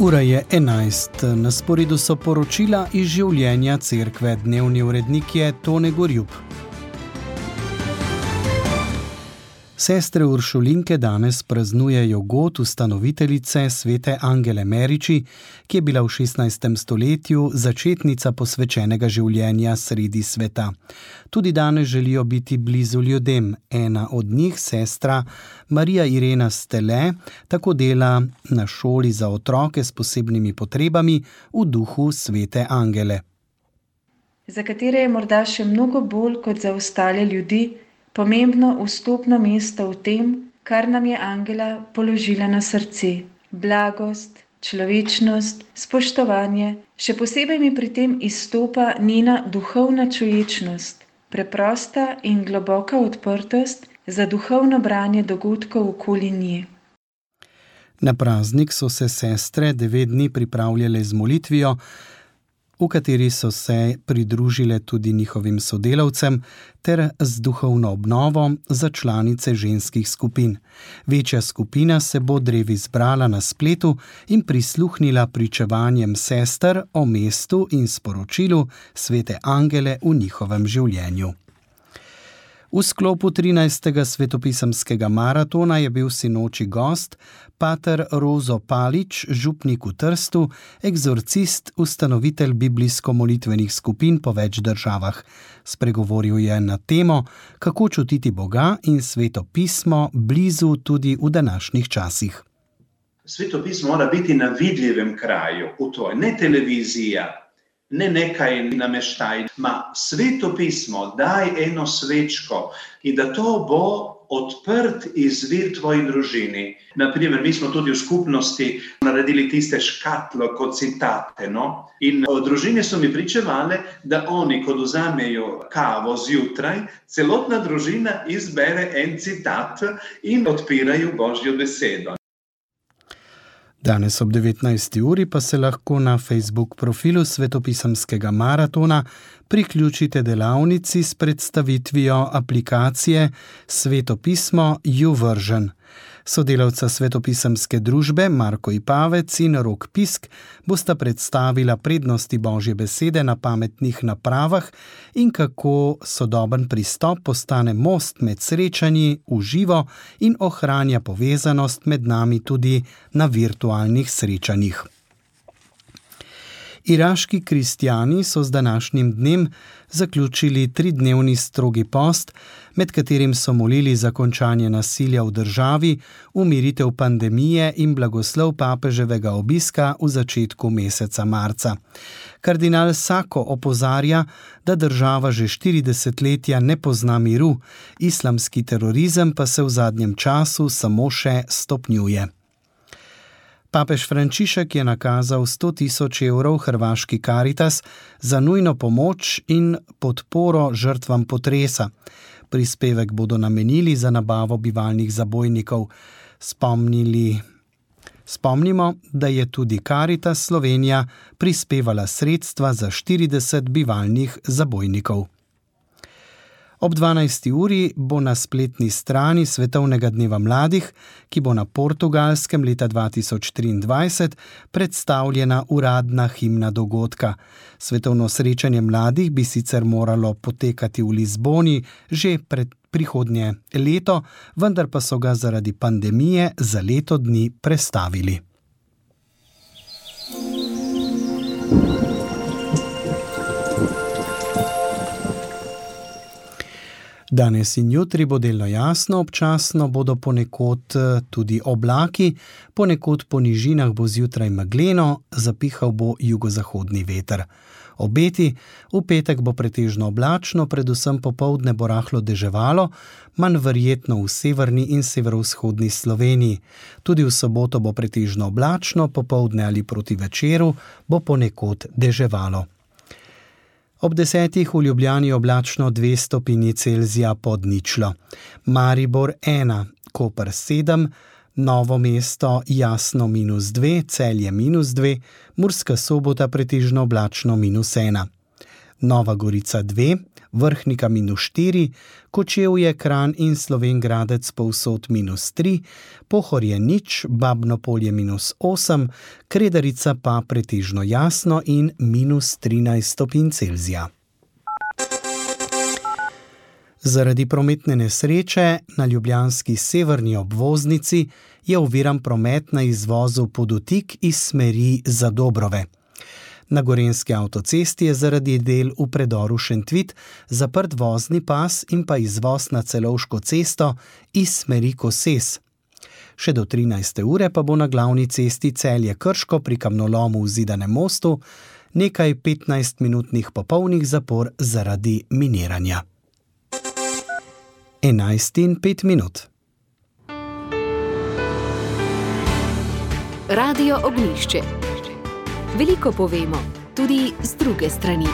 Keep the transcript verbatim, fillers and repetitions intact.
Ura je enajst, na sporedu so poročila iz življenja cerkve. Dnevni urednik je Tone Gorjup. Sestre Uršulinke danes praznujejo god ustanoviteljice svete Angele Meriči, ki je bila v šestnajstem stoletju začetnica posvečenega življenja sredi sveta. Tudi danes želijo biti blizu ljudem. Ena od njih, sestra Marija Irena Stele, tako dela na šoli za otroke s posebnimi potrebami v duhu svete Angele. Za katere je morda še mnogo bolj kot za ostale ljudi pomembno vstopno mesto v tem, kar nam je Angela položila na srce. Blagost, človečnost, spoštovanje, še posebej mi pri tem izstopa njena duhovna čuječnost, preprosta in globoka odprtost za duhovno branje dogodkov okoli nje. Na praznik so se sestre devet dni pripravljale z molitvijo, v kateri so se pridružile tudi njihovim sodelavcem ter z duhovno obnovo za članice ženskih skupin. Večja skupina se bo drevi zbrala na spletu in prisluhnila pričevanjem sester o mestu in sporočilu svete Angele v njihovem življenju. V sklopu trinajstega svetopisemskega maratona je bil sinoči gost pater Rozo Palič, župnik v Trstu, egzorcist, ustanovitelj biblijsko-molitvenih skupin po več državah. Spregovoril je na temo, kako čutiti Boga in sveto pismo blizu tudi v današnjih časih. Sveto pismo mora biti na vidljivem kraju, v tvoj, ne televizija, ne nekaj nameštaj, ma sveto pismo, daj eno svečko in da to bo odprt izvir tvoji družini. Naprimer, mi smo tudi v skupnosti naredili tiste škatlo kot citate, no? In družine so mi pričevale, da oni, ko vzamejo kavo zjutraj, celotna družina izbere en citat in odpirajo Božjo besedo. Danes ob devetnajsti uri pa se lahko na Facebook profilu svetopisemskega maratona priključite delavnici s predstavitvijo aplikacije Sveto pismo YouVersion. Sodelavca svetopisemske družbe Marko Ipavec in Rok Pisk bosta predstavila prednosti Božje besede na pametnih napravah in kako sodoben pristop postane most med srečanji v živo in ohranja povezanost med nami tudi na virtualnih srečanjih. Iraški kristjani so z današnjim dnem zaključili tridnevni strogi post, med katerim so molili za končanje nasilja v državi, umiritev pandemije in blagoslov papeževega obiska v začetku meseca marca. Kardinal Sako opozarja, da država že štiri desetletja ne pozna miru, islamski terorizem pa se v zadnjem času samo še stopnjuje. Papež Frančišek je nakazal sto tisoč evrov hrvaški Karitas za nujno pomoč in podporo žrtvam potresa. Prispevek bodo namenili za nabavo bivalnih zabojnikov. Spomnili, spomnimo, da je tudi Karitas Slovenija prispevala sredstva za štirideset bivalnih zabojnikov. Ob dvanajsti uri bo na spletni strani Svetovnega dneva mladih, ki bo na Portugalskem leta dva tisoč triindvajset, predstavljena uradna himna dogodka. Svetovno srečanje mladih bi sicer moralo potekati v Lizboni že pred prihodnje leto, vendar pa so ga zaradi pandemije za leto dni prestavili. Danes in jutri bo delno jasno, občasno bodo ponekod tudi oblaki, ponekod po nižinah bo zjutraj megleno, zapihal bo jugozahodni veter. Obeti, v petek bo pretežno oblačno, predvsem popoldne bo rahlo deževalo, manj verjetno v severni in severovzhodni Sloveniji. Tudi v soboto bo pretežno oblačno, popoldne ali proti večeru bo ponekod deževalo. Ob desetih v Ljubljani oblačno dve stopinji Celzija pod ničlo. Maribor ena, Koper sedem, Novo mesto jasno minus dve, Celje minus dve, Murska Sobota pretežno oblačno minus ena. Nova Gorica dve, Vrhnika minus štiri, Kočevje, Kranj in Slovenj Gradec povsod minus tri, Pohorje nič, Babno Polje minus osem, Kredarica pa pretežno jasno in minus trinajst stopinj Celzija. Zaradi prometne nesreče na ljubljanski severni obvoznici je oviran promet na izvozu Podutik iz smeri Zadobrove. Na gorenjski avtocesti je zaradi del v predoru Šentvid zaprt vozni pas in pa izvoz na Celovško cesto iz smeri Koses. Še do trinajste ure pa bo na glavni cesti Celje-Krško pri kamnolomu v Zidanem mostu nekaj petnajstminutnih popolnih zapor zaradi miniranja. enajst in pet minut. Radio Ognjišče. Veliko povemo, tudi z druge strani.